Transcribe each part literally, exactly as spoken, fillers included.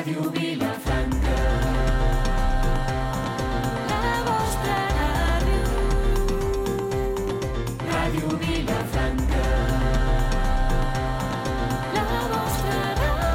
Ràdio Vilafranca. La vostra ràdio. Ràdio Vilafranca. La vostra ràdio.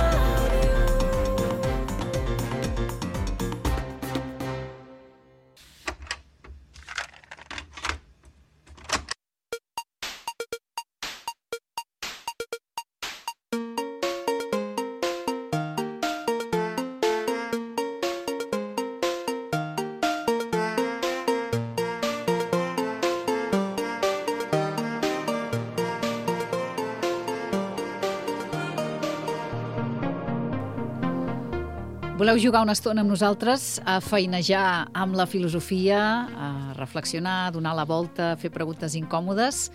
Voleu jugar una estona amb nosaltres, a feinejar amb la filosofia, a reflexionar, a donar la volta, a fer preguntes incòmodes?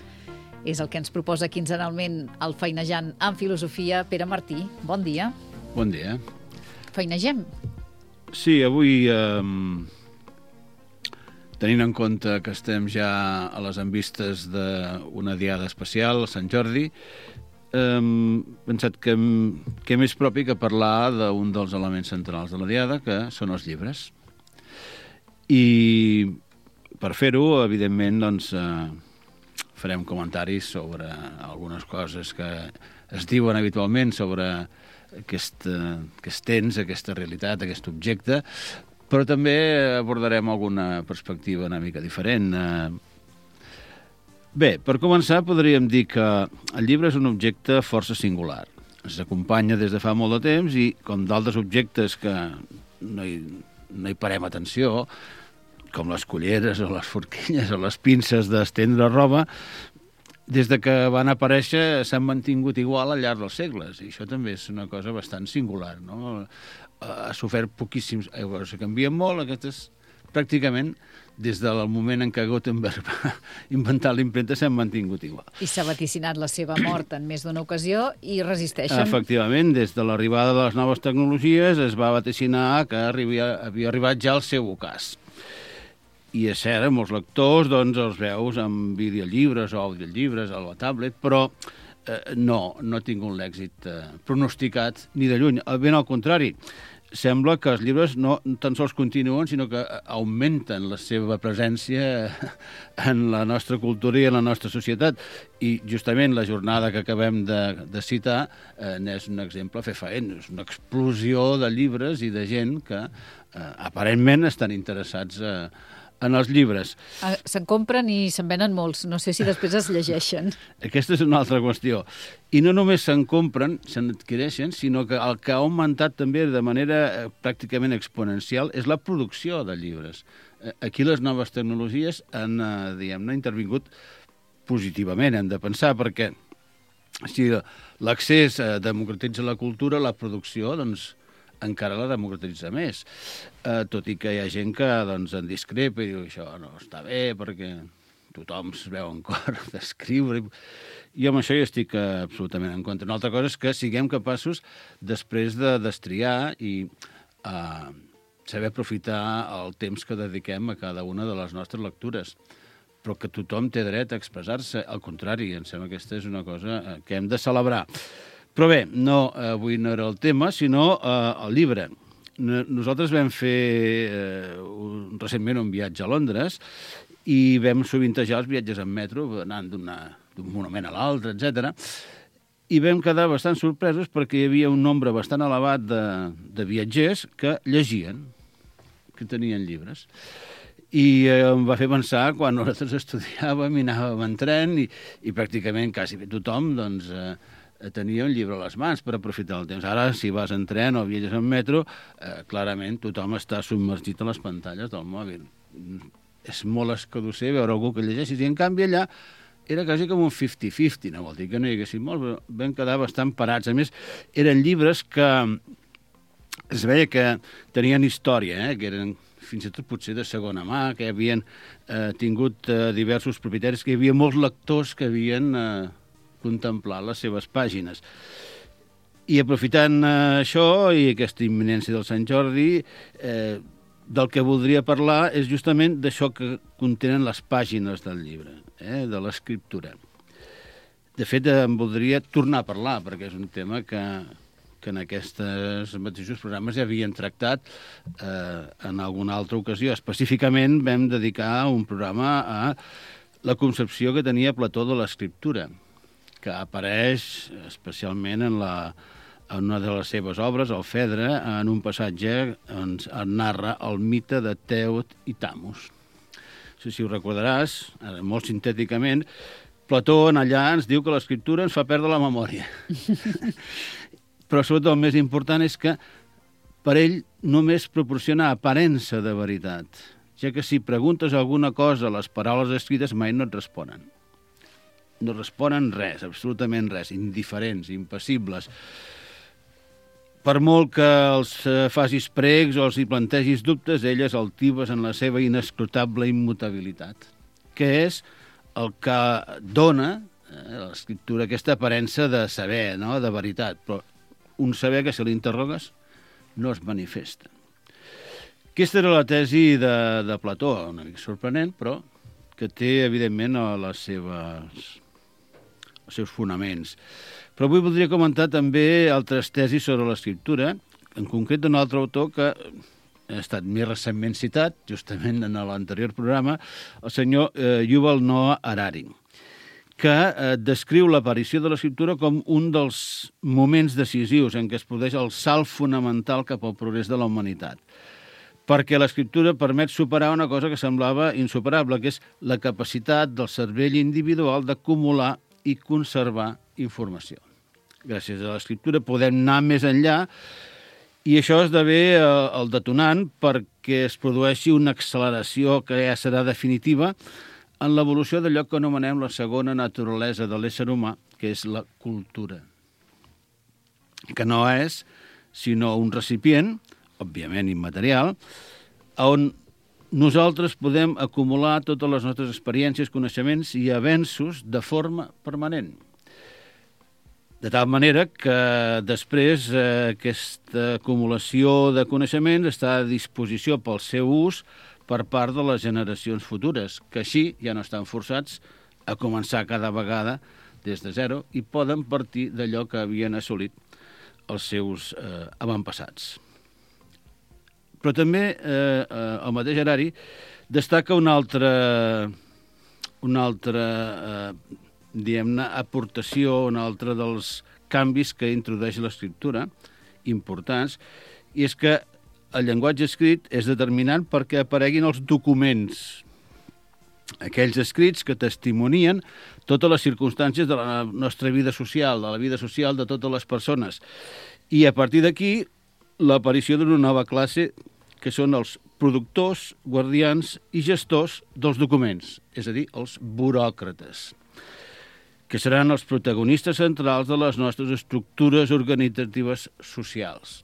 És el que ens proposa quinzenalment el Feinejant amb Filosofia. Pere Martí, bon dia. Bon dia. Feinegem. Sí, avui, eh, tenint en compte que estem ja a les envistes d'una diada especial, Sant Jordi, he pensat que, que més propi que parlar d'un dels elements centrals de la diada, que són els llibres. I per fer-ho, evidentment, doncs, eh, farem comentaris sobre algunes coses que es diuen habitualment sobre aquest, aquest temps, aquesta realitat, aquest objecte, però també abordarem alguna perspectiva una mica diferent. Eh, Bé, per començar podríem dir que el llibre és un objecte força singular. Ens acompanya des de fa molt de temps i, com d'altres objectes que no hi, no hi parem atenció, com les culleres o les forquilles o les pinces d'estendre roba, des de que van aparèixer s'han mantingut igual al llarg dels segles. I això també és una cosa bastant singular, no? Ha sofert poquíssims... Se canvien molt, aquestes pràcticament des del moment en què Gutenberg va inventar l'impremta s'han mantingut igual. I s'ha vaticinat la seva mort en més d'una ocasió i resisteixen. Efectivament, des de l'arribada de les noves tecnologies es va vaticinar que arribia, havia arribat ja el seu ocàs. I és cert, molts lectors doncs, els veus amb videollibres o audiollibres a la tablet, però eh, no, no ha tingut l'èxit eh, pronosticat ni de lluny. Ben al contrari, sembla que els llibres no tan sols continuen, sinó que augmenten la seva presència en la nostra cultura i en la nostra societat. I justament la jornada que acabem de, de citar eh, n'és un exemple fefaent. És una explosió de llibres i de gent que eh, aparentment estan interessats eh, en els llibres. Se'n compren i se'n venen molts. No sé si després es llegeixen. Aquesta és una altra qüestió. I no només se'n compren, se'n adquireixen, sinó que el que ha augmentat també de manera pràcticament exponencial és la producció de llibres. Aquí les noves tecnologies han, diguem-ne, intervingut positivament, hem de pensar, perquè si l'accés democratitza la cultura, la producció, doncs, encara la democratitza més. Eh, tot i que hi ha gent que doncs, en discrepa i diu això no està bé perquè tothom es veu en cor d'escriure. I amb això jo estic absolutament en contra. Una altra cosa és que siguem capaços després de destriar i eh, saber aprofitar el temps que dediquem a cada una de les nostres lectures. Però que tothom té dret a expressar-se. Al contrari, em sembla que aquesta és una cosa que hem de celebrar. Però bé, no, avui no era el tema, sinó eh, el llibre. Nosaltres vam fer eh, un, recentment un viatge a Londres i vam sovintejar els viatges en metro, anant d'un monument a l'altre, etcètera. I vam quedar bastant sorpresos perquè hi havia un nombre bastant elevat de, de viatgers que llegien, que tenien llibres. I eh, em va fer pensar quan nosaltres estudiàvem i anàvem en tren i, i pràcticament quasi tothom doncs, eh, tenia un llibre a les mans per aprofitar el temps. Ara, si vas en tren o viatges en metro, eh, clarament tothom està submergit a les pantalles del mòbil. És molt escadusser veure algú que llegeixi. I en canvi allà era quasi com un cinquanta cinquanta, no vol dir que no hi haguessin molts, però vam quedar bastant parats. A més, eren llibres que es veia que tenien història, eh? Que eren fins i tot potser de segona mà, que havien eh, tingut eh, diversos propietaris, que hi havia molts lectors que havien eh, contemplat les seves pàgines. I aprofitant eh, això i aquesta imminència del Sant Jordi, eh, del que voldria parlar és justament d'això que contenen les pàgines del llibre, eh, de l'escriptura. De fet, em voldria tornar a parlar, perquè és un tema que, que en aquests mateixos programes ja havien tractat eh, en alguna altra ocasió. Específicament vam dedicar un programa a la concepció que tenia Plató de l'escriptura, que apareix especialment en, la, en una de les seves obres, el Fedre, en un passatge on es narra el mite de Tèot i Tamus. No sé si ho recordaràs, molt sintèticament, Plató en allà ens diu que l'escriptura ens fa perdre la memòria. Però sobretot el més important és que per ell només proporciona aparença de veritat, ja que si preguntes alguna cosa, les paraules escrites mai no et responen. No responen res, absolutament res, indiferents, impassibles. Per molt que els facis pregs o els hi plantegis dubtes, elles altives en la seva inescrutable immutabilitat, que és el que dona eh, l'escriptura aquesta aparença de saber, no?, de veritat, però un saber que si l'interrogues no es manifesta. Aquesta era la tesi de, de Plató, una mica sorprenent, però que té, evidentment, les seves, els seus fonaments. Però avui voldria comentar també altres tesis sobre l'escriptura, en concret d'un altre autor que ha estat més recentment citat, justament en l'anterior programa, el senyor eh, Yuval Noah Harari, que eh, descriu l'aparició de l'escriptura com un dels moments decisius en què es produeix el salt fonamental cap al progrés de la humanitat. Perquè l'escriptura permet superar una cosa que semblava insuperable, que és la capacitat del cervell individual d'acumular i conservar informació. Gràcies a l'escriptura podem anar més enllà i això esdevé el detonant perquè es produeixi una acceleració que ja serà definitiva en l'evolució d'allò que anomenem la segona naturalesa de l'ésser humà, que és la cultura. Que no és sinó un recipient, òbviament immaterial, on nosaltres podem acumular totes les nostres experiències, coneixements i avenços de forma permanent. De tal manera que després eh, aquesta acumulació de coneixements està a disposició pel seu ús per part de les generacions futures, que així ja no estan forçats a començar cada vegada des de zero i poden partir d'allò que havien assolit els seus eh, avantpassats. Però també eh, el mateix Harari destaca una altra, una altra eh, diguem-ne, aportació, un altre dels canvis que introdueix l'escriptura, importants, i és que el llenguatge escrit és determinant perquè apareguin els documents, aquells escrits que testimonien totes les circumstàncies de la nostra vida social, de la vida social de totes les persones. I a partir d'aquí, l'aparició d'una nova classe que són els productors, guardians i gestors dels documents, és a dir, els buròcrates, que seran els protagonistes centrals de les nostres estructures organitzatives socials.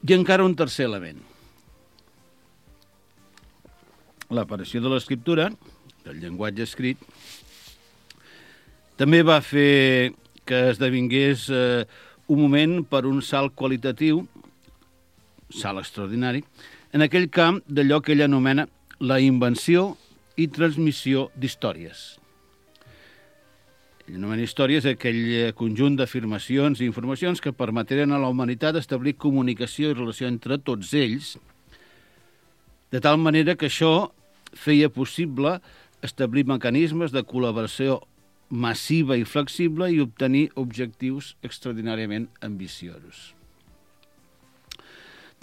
I encara un tercer element. L'aparició de l'escriptura, del llenguatge escrit, també va fer que esdevingués eh, un moment per un salt qualitatiu, salt extraordinari, en aquell camp d'allò que ell anomena la invenció i transmissió d'històries. Ell anomena històries aquell conjunt d'afirmacions i informacions que permeteren a la humanitat establir comunicació i relació entre tots ells, de tal manera que això feia possible establir mecanismes de col·laboració massiva i flexible i obtenir objectius extraordinàriament ambiciosos.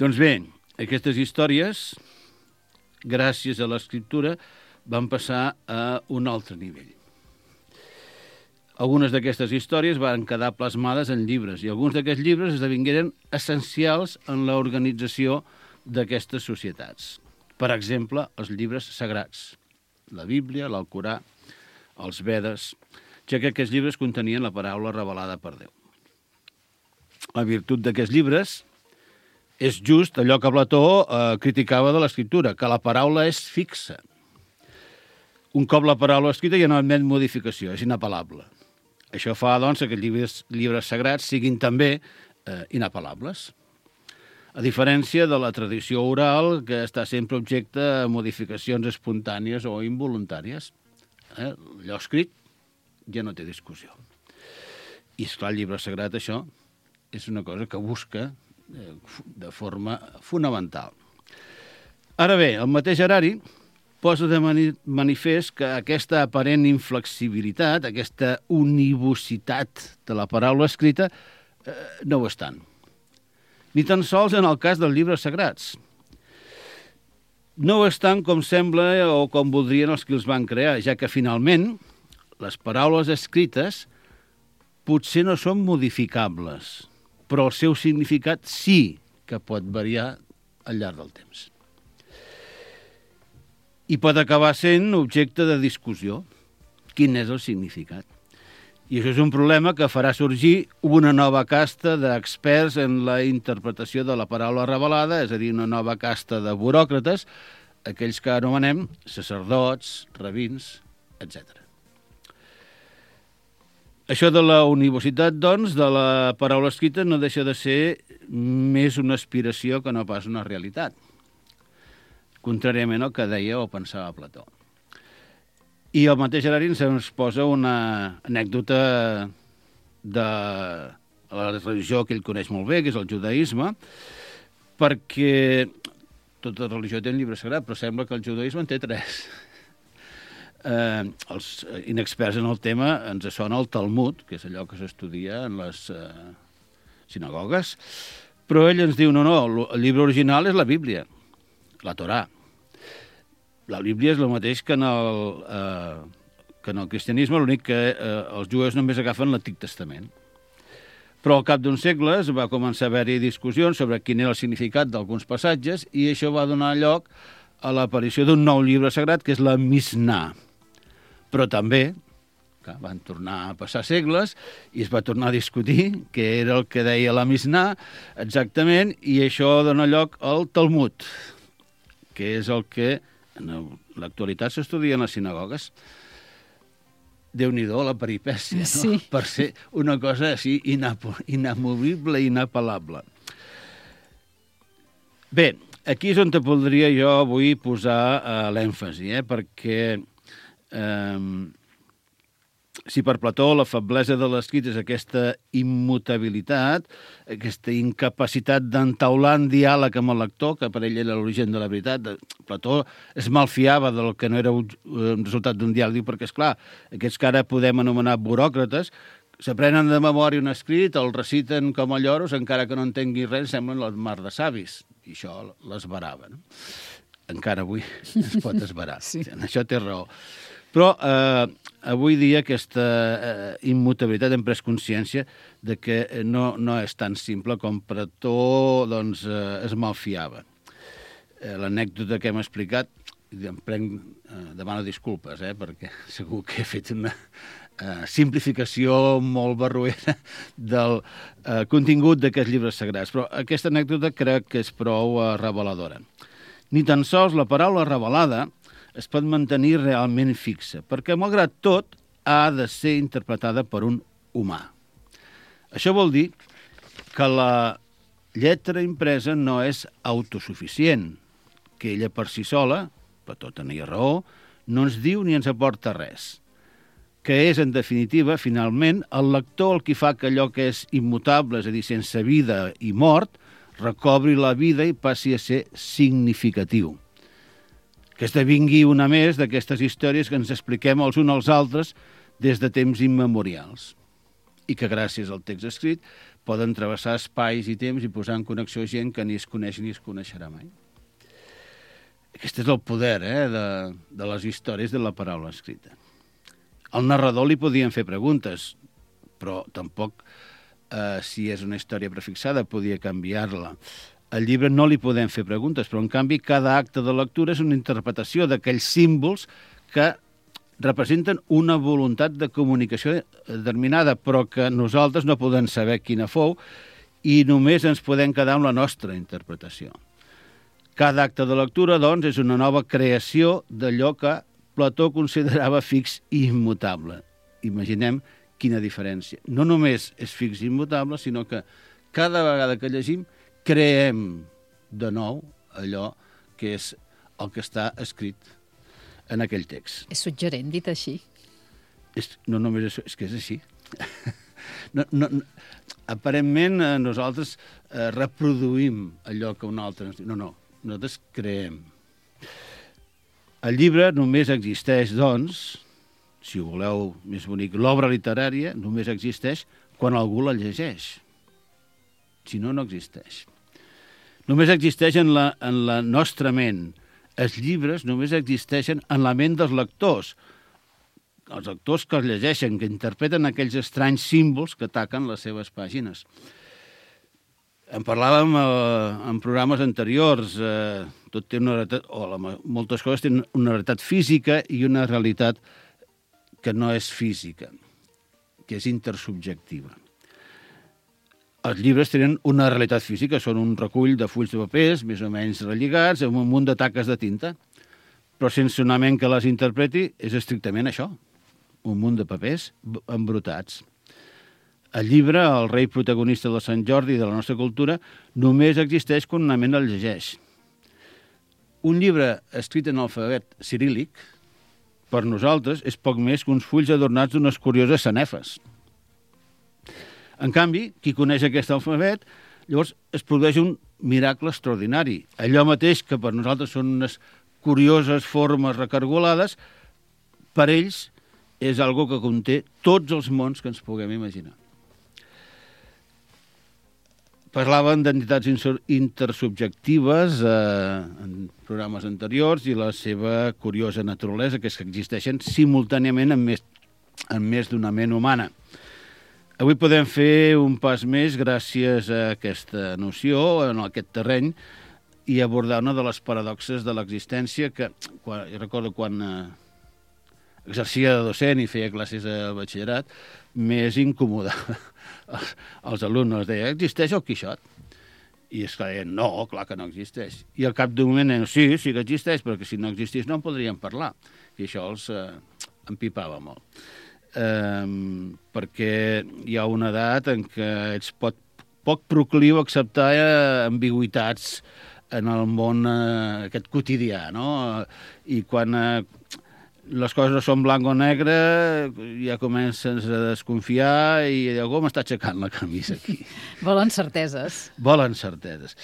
Doncs bé, aquestes històries, gràcies a l'escriptura, van passar a un altre nivell. Algunes d'aquestes històries van quedar plasmades en llibres i alguns d'aquests llibres esdevingueren essencials en l'organització d'aquestes societats. Per exemple, els llibres sagrats, la Bíblia, l'Alcorà, els Vedes, ja que aquests llibres contenien la paraula revelada per Déu. La virtut d'aquests llibres és just allò que Plató eh, criticava de l'escriptura, que la paraula és fixa. Un cop la paraula escrita ja no admet modificació, és inapel·lable. Això fa, doncs, que els llibres, llibres sagrats siguin també eh, inapel·lables. A diferència de la tradició oral, que està sempre objecte a modificacions espontànies o involuntàries. Eh? Allò escrit ja no té discussió. I, esclar, el llibre sagrat, això, és una cosa que busca eh, de forma fonamental. Ara bé, el mateix Harari posa de mani manifest que aquesta aparent inflexibilitat, aquesta univocitat de la paraula escrita, eh, no ho és tant. Ni tan sols en el cas dels llibres sagrats. No ho és tant com sembla o com voldrien els que els van crear, ja que finalment les paraules escrites potser no són modificables, però el seu significat sí que pot variar al llarg del temps. I pot acabar sent objecte de discussió. Quin és el significat? I això és un problema que farà sorgir una nova casta d'experts en la interpretació de la paraula revelada, és a dir, una nova casta de buròcrates, aquells que anomenem sacerdots, rabins, etcètera. Això de la universitat, doncs, de la paraula escrita no deixa de ser més una aspiració que no pas una realitat, contràriament al que deia o pensava Plató. I el mateix Harari ens posa una anècdota de la religió que ell coneix molt bé, que és el judaïsme, perquè tota religió té un llibre sagrat, però sembla que el judaïsme en té tres. Eh, els inexperts en el tema ens sona el Talmud, que és allò que s'estudia en les eh, sinagogues, però ell ens diu, no, no, el llibre original és la Bíblia, la Torà. La Bíblia és el mateix que en el, eh, que en el cristianisme, l'únic que eh, els jueus només agafen l'Antic Testament. Però al cap d'uns segles va començar a haver-hi discussions sobre quin era el significat d'alguns passatges i això va donar lloc a l'aparició d'un nou llibre sagrat, que és la Mishnah. Però també, que van tornar a passar segles i es va tornar a discutir què era el que deia la Mishnah exactament, i això dona lloc al Talmud, que és el que en l'actualitat s'estudia en les sinagogues. Déu-n'hi-do, la peripècia, no? Sí. Per ser una cosa així inamovible i inapel·lable. Bé, aquí és on te podria jo avui posar uh, l'èmfasi, eh? Perquè eh, si per Plató la feblesa de l'escrit és aquesta immutabilitat, aquesta incapacitat d'entaular en diàleg amb el lector, que per ell era l'origen de la veritat, Plató es malfiava del que no era un resultat d'un diàleg, perquè, esclar, aquests que ara podem anomenar buròcrates, s'aprenen de memòria un escrit, el reciten com a lloros, encara que no entengui res, semblen el mar de savis, i això l'esbarava, no? Encara avui es pot esbarar. Sí. En això té raó. Però eh, avui dia aquesta eh, immutabilitat hem pres consciència de que no, no és tan simple com Plató doncs, eh, es malfiava. Eh, L'anècdota que hem explicat, em prenc, eh, demano disculpes, eh, perquè segur que he fet una eh, simplificació molt barroera del eh, contingut d'aquests llibres sagrats, però aquesta anècdota crec que és prou eh, reveladora. Ni tan sols la paraula revelada es pot mantenir realment fixa, perquè, malgrat tot, ha de ser interpretada per un humà. Això vol dir que la lletra impresa no és autosuficient, que ella per si sola, Plató tenia raó, no ens diu ni ens aporta res, que és, en definitiva, finalment, el lector el qui fa que allò que és immutable, és a dir, sense vida i mort, recobri la vida i passi a ser significatiu. Que esdevingui una més d'aquestes històries que ens expliquem els uns als altres des de temps immemorials i que gràcies al text escrit poden travessar espais i temps i posar en connexió gent que ni es coneix ni es coneixerà mai. Aquest és el poder eh, de, de les històries de la paraula escrita. Al narrador li podien fer preguntes, però tampoc, eh, si és una història prefixada, podia canviar-la. Al llibre no li podem fer preguntes, però en canvi cada acte de lectura és una interpretació d'aquells símbols que representen una voluntat de comunicació determinada, però que nosaltres no podem saber quina fou i només ens podem quedar amb la nostra interpretació. Cada acte de lectura, doncs, és una nova creació d'allò que Plató considerava fix i immutable. Imaginem quina diferència. No només és fix i immutable, sinó que cada vegada que llegim creem de nou allò que és el que està escrit en aquell text. És suggerent, dit així. És, no només és, és que és així. No, no, no, aparentment eh, nosaltres eh, reproduïm allò que un altre ens diu. No, no, nosaltres creem. El llibre només existeix, doncs, si ho voleu més bonic, l'obra literària només existeix quan algú la llegeix. Si no, no existeix. Només existeix en la, en la nostra ment. Els llibres només existeixen en la ment dels lectors. Els lectors que els llegeixen, que interpreten aquells estranys símbols que ataquen les seves pàgines. En parlàvem eh, en programes anteriors. Eh, tot té una realitat, o la, moltes coses tenen una realitat física i una realitat que no és física, que és intersubjectiva. Els llibres tenen una realitat física, són un recull de fulls de papers, més o menys relligats, amb un munt de taques de tinta. Però sense una ment que les interpreti, és estrictament això, un munt de papers embrutats. El llibre, el rei protagonista de Sant Jordi i de la nostra cultura, només existeix quan una ment el llegeix. Un llibre escrit en alfabet ciríl·lic, per nosaltres, és poc més que uns fulls adornats d'unes curioses sanefes. En canvi, qui coneix aquest alfabet, llavors es produeix un miracle extraordinari. Allò mateix que per nosaltres són unes curioses formes recargolades, per ells és algo que conté tots els mons que ens puguem imaginar. Parlàvem d'entitats intersubjectives eh, en programes anteriors i la seva curiosa naturalesa, que és que existeixen simultàniament en més, en més d'una ment humana. Avui podem fer un pas més gràcies a aquesta noció, en aquest terreny, i abordar una de les paradoxes de l'existència que, quan, jo recordo quan eh, exercia de docent i feia classes de batxillerat, més incomodava els, els alumnes. Deia, existeix el Quixot? I és clar, deien, no, clar que no existeix. I al cap d'un moment deien, sí, sí que existeix, perquè si no existís no en podríem parlar. I això els eh, empipava molt. Eh, perquè hi ha una edat en què ets pot, poc procliu a acceptar eh, ambigüitats en el món eh, aquest quotidià, no? I quan eh, les coses no són blanc o negre, ja comences a desconfiar i algú m'està aixecant la camisa aquí. Volen certeses. Volen certeses.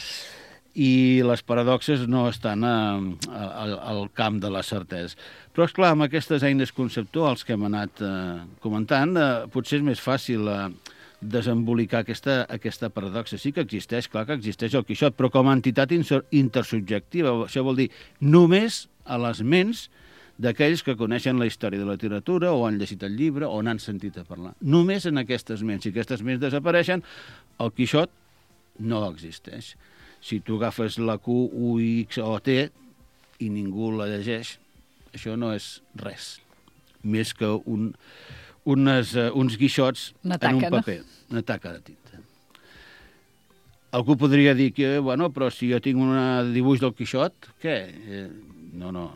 I les paradoxes no estan a, a, al camp de les certeses. Però, esclar, amb aquestes eines conceptuals que hem anat eh, comentant, eh, potser és més fàcil eh, desembolicar aquesta, aquesta paradoxa. Sí que existeix, clar que existeix el Quixot, però com a entitat intersubjectiva. Això vol dir només a les ments d'aquells que coneixen la història de la literatura o han llegit el llibre o n'han sentit a parlar. Només en aquestes ments. Si aquestes ments desapareixen, el Quixot no existeix. Si tu agafes la Q, U, X o T i ningú la llegeix, això no és res. Més que un, unes, uh, uns guixots taca, en un paper. No? Una taca de tinta. Algú podria dir que, bueno, però si jo tinc un dibuix del Quixot, què? Eh, no, no.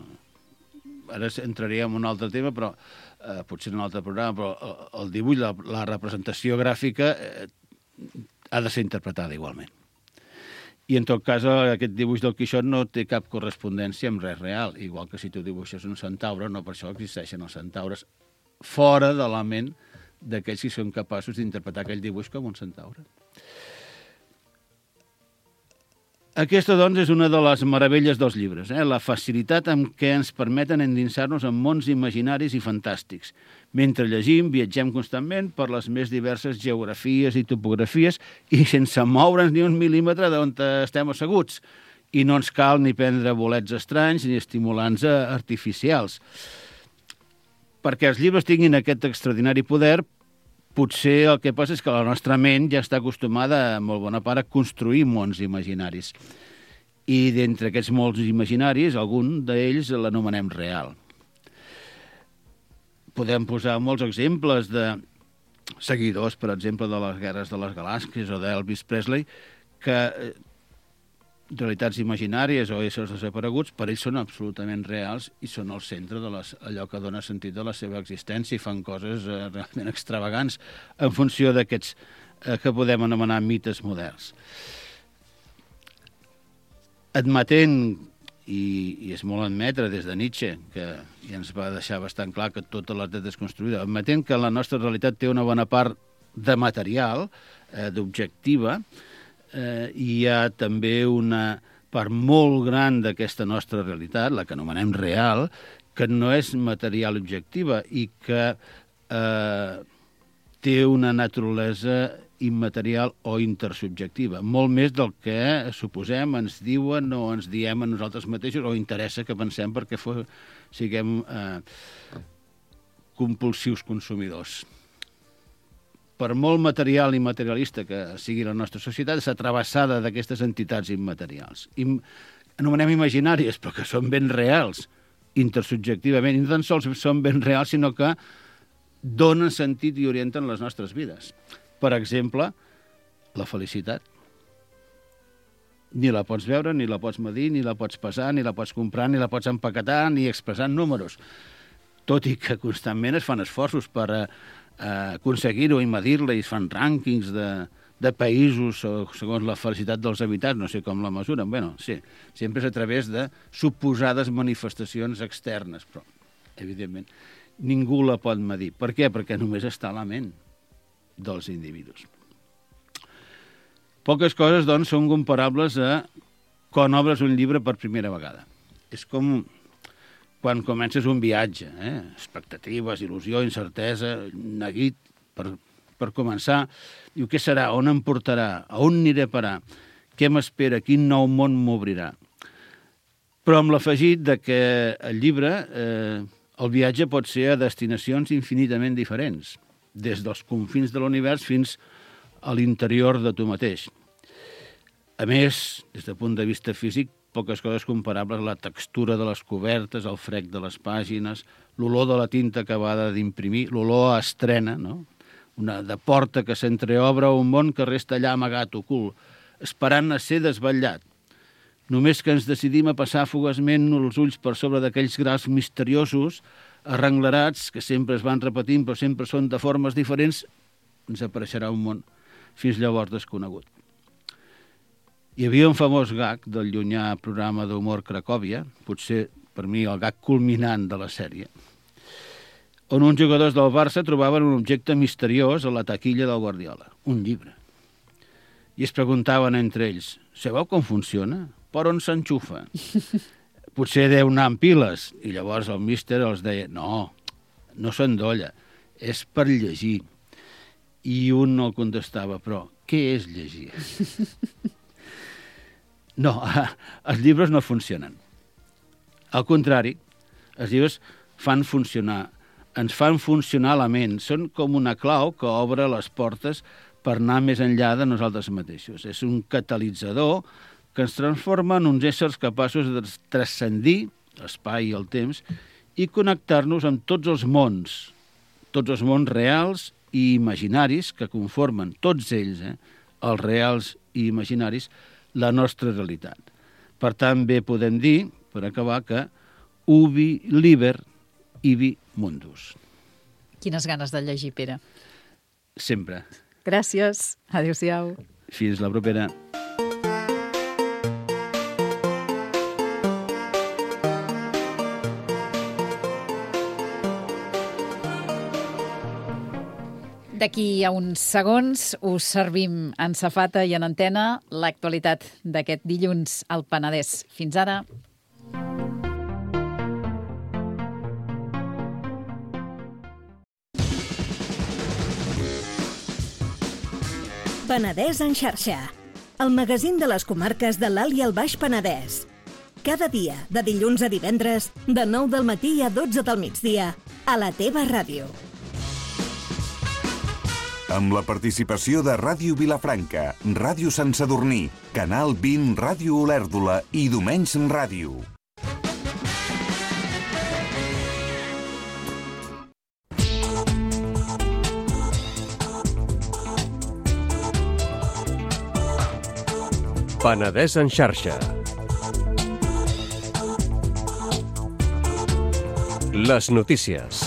Ara entraríem en un altre tema, però eh, potser en un altre programa, però el dibuix, la, la representació gràfica eh, ha de ser interpretada igualment. I en tot cas aquest dibuix del Quixot no té cap correspondència amb res real, igual que si tu dibuixes un centaure, no per això existeixen els centaures fora de la ment d'aquells que són capaços d'interpretar aquell dibuix com un centaure. Aquesta, doncs, és una de les meravelles dels llibres, eh? La facilitat amb què ens permeten endinsar-nos en mons imaginaris i fantàstics. Mentre llegim, viatgem constantment per les més diverses geografies i topografies i sense moure'ns ni un mil·límetre d'on estem asseguts. I no ens cal ni prendre bolets estranys ni estimulants artificials. Perquè els llibres tinguin aquest extraordinari poder, potser el que passa és que la nostra ment ja està acostumada, en molt bona part, a construir mons imaginaris. I d'entre aquests mons imaginaris, algun d'ells l'anomenem real. Podem posar molts exemples de seguidors, per exemple, de les Guerres de les Galàxies o d'Elvis Presley, que realitats imaginàries o éssers desapareguts, per ells són absolutament reals i són el centre de les, allò que dona sentit de la seva existència i fan coses eh, realment extravagants en funció d'aquests eh, que podem anomenar mites moderns. Admetent, i, i és molt admetre des de Nietzsche, que ja ens va deixar bastant clar que tota la realitat és construïda, admetent que la nostra realitat té una bona part de material, eh, d'objectiva, eh, hi ha també una part molt gran d'aquesta nostra realitat, la que anomenem real, que no és material objectiva i que eh, té una naturalesa immaterial o intersubjectiva, molt més del que suposem, ens diuen o ens diem a nosaltres mateixos o interessa que pensem perquè fos, siguem eh, compulsius consumidors. Per molt material i materialista que sigui la nostra societat, és atrevessada d'aquestes entitats immaterials. I anomenem imaginàries, però que són ben reals, intersubjectivament, i no tan sols són ben reals, sinó que donen sentit i orienten les nostres vides. Per exemple, la felicitat. Ni la pots veure, ni la pots medir, ni la pots pesar, ni la pots comprar, ni la pots empaquetar, ni expressar en números. Tot i que constantment es fan esforços per eh, aconseguir-ho i medir-la, i es fan rànquings de, de països segons la felicitat dels habitants, no sé com la mesuren. Bé, sí, sempre és a través de suposades manifestacions externes, però, evidentment, ningú la pot medir. Per què? Perquè només està a la ment dels individus. Poques coses, doncs, són comparables a quan obres un llibre per primera vegada. És com quan comences un viatge, eh? Expectatives, il·lusió, incertesa, neguit per, per començar. Diu, què serà? On em portarà? A on aniré a parar? Què m'espera? Quin nou món m'obrirà? Però amb l'afegit de que el llibre, eh, el viatge pot ser a destinacions infinitament diferents, des dels confins de l'univers fins a l'interior de tu mateix. A més, des del punt de vista físic, poques coses comparables a la textura de les cobertes, el frec de les pàgines, l'olor de la tinta acabada d'imprimir, l'olor a estrena, no? Una de porta que s'entreobre a un món que resta allà amagat, ocult, esperant a ser desvetllat. Només que ens decidim a passar fugaçment els ulls per sobre d'aquells graus misteriosos, arrenglerats, que sempre es van repetint, però sempre són de formes diferents, ens apareixerà un món fins llavors desconegut. Hi havia un famós gag del llunyà programa d'humor Cracòvia, potser per mi el gag culminant de la sèrie, on uns jugadors del Barça trobaven un objecte misteriós a la taquilla del Guardiola, un llibre. I es preguntaven entre ells, sabeu com funciona? Per on s'enxufa? Potser deu anar amb piles. I llavors el míster els deia, no, no s'endolla, és per llegir. I un no el contestava, però què és llegir? No, els llibres no funcionen. Al contrari, els llibres fan funcionar, ens fan funcionar la ment. Són com una clau que obre les portes per anar més enllà de nosaltres mateixos. És un catalitzador que ens transforma en uns éssers capaços de transcendir l'espai i el temps i connectar-nos amb tots els mons, tots els mons reals i imaginaris que conformen, tots ells, eh, els reals i imaginaris, la nostra realitat. Per tant, bé podem dir, per acabar, que ubi liber ibi mundus. Quines ganes de llegir, Pere. Sempre. Gràcies. Adéu-siau. Fins la propera. D'aquí a uns segons us servim en safata i en antena l'actualitat d'aquest dilluns al Penedès. Fins ara. Penedès en xarxa, el magazín de les comarques de l'Alt i el Baix Penedès. Cada dia, de dilluns a divendres, de nou del matí a dotze del migdia, a la teva ràdio. Amb la participació de Ràdio Vilafranca, Ràdio Sant Sadurní, Canal vint, Ràdio Olèrdola i Domenys Ràdio. Penedès en xarxa. Les notícies.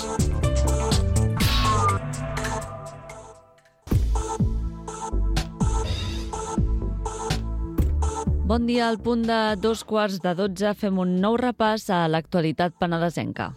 Bon dia, al punt de dos quarts de dotze fem un nou repàs a l'actualitat penedesenca.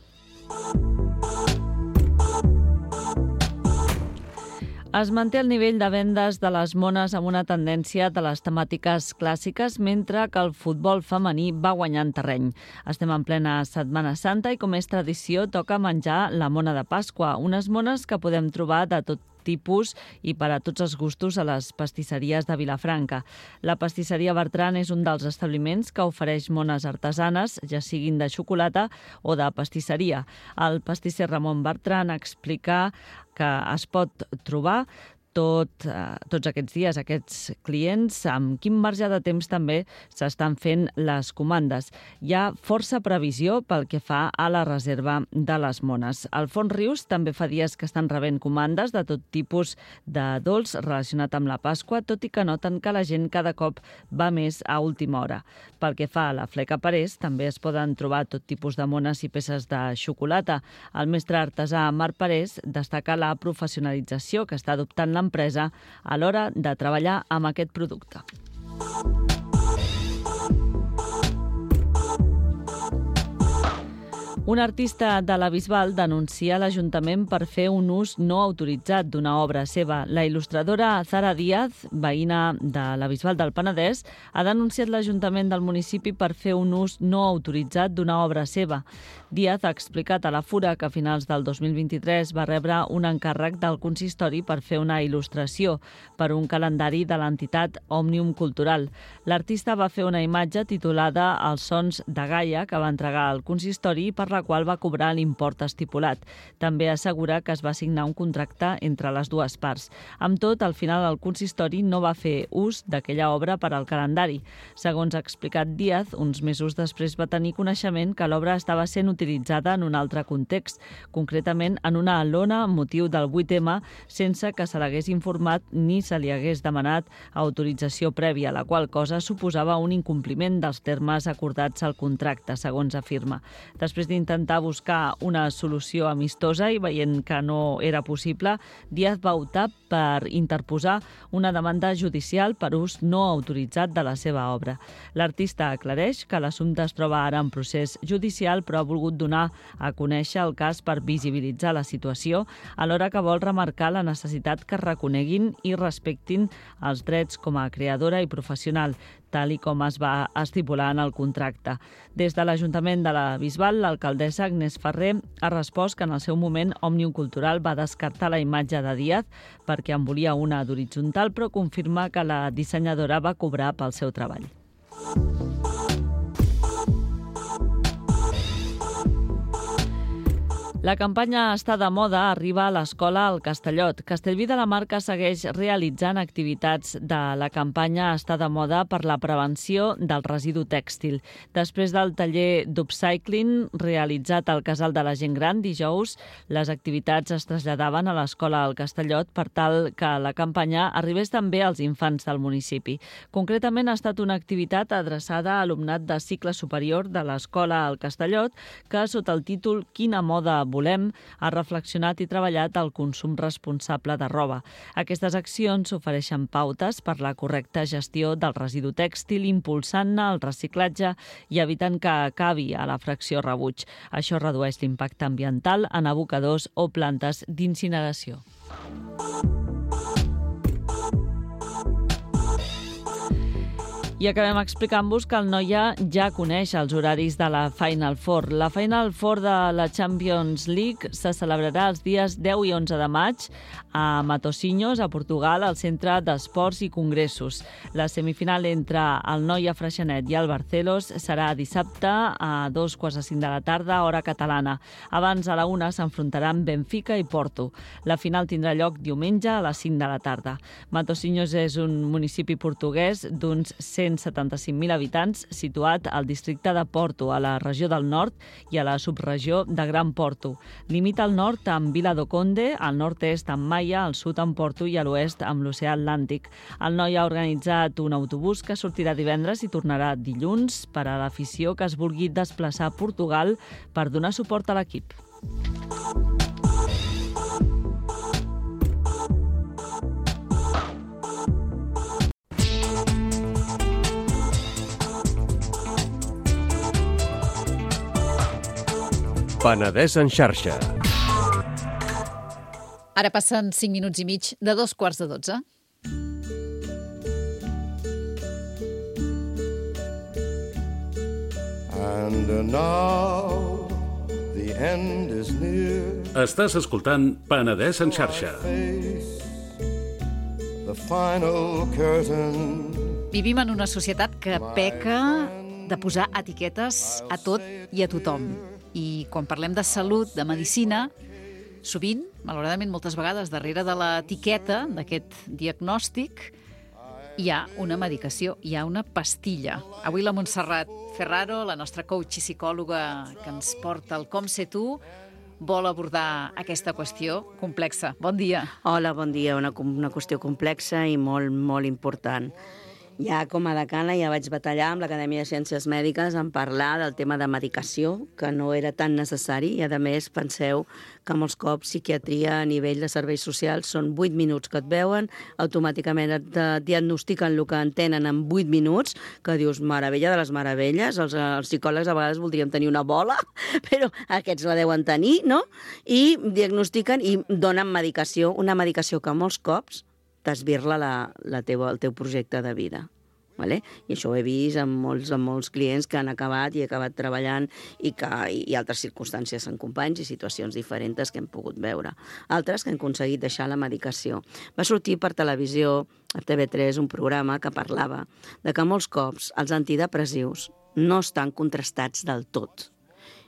Es manté el nivell de vendes de les mones amb una tendència de les temàtiques clàssiques, mentre que el futbol femení va guanyant terreny. Estem en plena Setmana Santa i, com és tradició, toca menjar la mona de Pasqua, unes mones que podem trobar de tot tipus i per a tots els gustos a les pastisseries de Vilafranca. La pastisseria Bertran és un dels establiments que ofereix mones artesanes, ja siguin de xocolata o de pastisseria. El pastisser Ramon Bertran explica que es pot trobar tot, eh, tots aquests dies, aquests clients, amb quin marge de temps també s'estan fent les comandes. Hi ha força previsió pel que fa a la reserva de les mones. El Font Rius també fa dies que estan rebent comandes de tot tipus de dolç relacionat amb la Pasqua, tot i que noten que la gent cada cop va més a última hora. Pel que fa a la Fleca Parés, també es poden trobar tot tipus de mones i peces de xocolata. El mestre artesà Marc Parés destaca la professionalització que està adoptant l'empresa a l'hora de treballar amb aquest producte. Un artista de la Bisbal denuncia l'Ajuntament per fer un ús no autoritzat d'una obra seva. La il·lustradora Zara Díaz, veïna de la Bisbal del Penedès, ha denunciat l'Ajuntament del municipi per fer un ús no autoritzat d'una obra seva. Díaz ha explicat a la Fura que a finals del dos mil vint-i-tres va rebre un encàrrec del consistori per fer una il·lustració per un calendari de l'entitat Òmnium Cultural. L'artista va fer una imatge titulada Els sons de Gaia que va entregar al consistori per la qual va cobrar l'import estipulat. També assegura que es va signar un contracte entre les dues parts. Amb tot, al final el consistori no va fer ús d'aquella obra per al calendari. Segons ha explicat Díaz, uns mesos després va tenir coneixement que l'obra estava sent utilitzada en un altre context, concretament en una lona amb motiu del vuit eme, sense que se l'hagués informat ni se li hagués demanat autorització prèvia, la qual cosa suposava un incompliment dels termes acordats al contracte, segons afirma. Després d'intentar buscar una solució amistosa i veient que no era possible, Díaz va optar per interposar una demanda judicial per ús no autoritzat de la seva obra. L'artista aclareix que l'assumpte es troba ara en procés judicial, però ha volgut donar a conèixer el cas per visibilitzar la situació, alhora que vol remarcar la necessitat que reconeguin i respectin els drets com a creadora i professional, tal i com es va estipular en el contracte. Des de l'Ajuntament de la Bisbal, l'alcaldessa Agnès Ferrer ha respost que en el seu moment Òmnium Cultural va descartar la imatge de Díaz perquè en volia una d'horitzontal, però confirma que la dissenyadora va cobrar pel seu treball. La campanya Està de moda arriba a l'escola al Castellot. Castellví de la Marca segueix realitzant activitats de la campanya Està de moda per la prevenció del residu tèxtil. Després del taller d'upcycling realitzat al Casal de la Gent Gran dijous, les activitats es traslladaven a l'escola al Castellot per tal que la campanya arribés també als infants del municipi. Concretament ha estat una activitat adreçada a alumnat de cicle superior de l'escola al Castellot que, sota el títol Quina moda volem, ha reflexionat i treballat el consum responsable de roba. Aquestes accions ofereixen pautes per la correcta gestió del residu tèxtil, impulsant-ne el reciclatge i evitant que acabi a la fracció rebuig. Això redueix l'impacte ambiental en abocadors o plantes d'incineració. I acabem explicant-vos que el Noia ja coneix els horaris de la Final Four. La Final Four de la Champions League se celebrarà els dies deu i onze de maig a Matosinhos, a Portugal, al Centre d'Esports i Congressos. La semifinal entre el Noia Freixenet i el Barcelos serà dissabte a dos quarts de cinc de la tarda, hora catalana. Abans, a la una, s'enfrontaran Benfica i Porto. La final tindrà lloc diumenge a les cinc de la tarda. Matosinhos és un municipi portuguès d'uns cent setanta-cinc mil habitants, situat al districte de Porto, a la regió del nord i a la subregió de Gran Porto. Limita al nord amb Vila do Conde, al nord-est amb Maia, al sud amb Porto i a l'oest amb l'oceà Atlàntic. El Noia ha organitzat un autobús que sortirà divendres i tornarà dilluns per a l'afició que es vulgui desplaçar a Portugal per donar suport a l'equip. Penedès en xarxa. Ara passen cinc minuts i mig de dos quarts de dotze. And now the end is near. Estàs escoltant Penedès en xarxa. Face the final curtain. Vivim en una societat que peca de posar etiquetes a tot i a tothom. I quan parlem de salut, de medicina, sovint, malauradament moltes vegades, darrere de l'etiqueta d'aquest diagnòstic, hi ha una medicació, hi ha una pastilla. Avui la Montserrat Ferraro, la nostra coach i psicòloga que ens porta el Com Ser Tu, vol abordar aquesta qüestió complexa. Bon dia. Hola, bon dia. Una, una qüestió complexa i molt, molt important. Ja com a decana ja vaig batallar amb l'Acadèmia de Ciències Mèdiques en parlar del tema de medicació, que no era tan necessari, i a més penseu que molts cops psiquiatria a nivell de serveis socials són vuit minuts que et veuen, automàticament et diagnostiquen el que entenen en vuit minuts, que dius, meravella de les meravelles, els, els psicòlegs a vegades voldríem tenir una bola, però aquests la deuen tenir, no? I diagnostiquen i donen medicació, una medicació que molts cops t'esbirla la, la teva, el teu projecte de vida. Vale? I això ho he vist amb molts, amb molts clients que han acabat i he acabat treballant i, que, i altres circumstàncies en companys i situacions diferents que hem pogut veure. Altres que han aconseguit deixar la medicació. Va sortir per televisió, a T V tres, un programa que parlava de que molts cops els antidepressius no estan contrastats del tot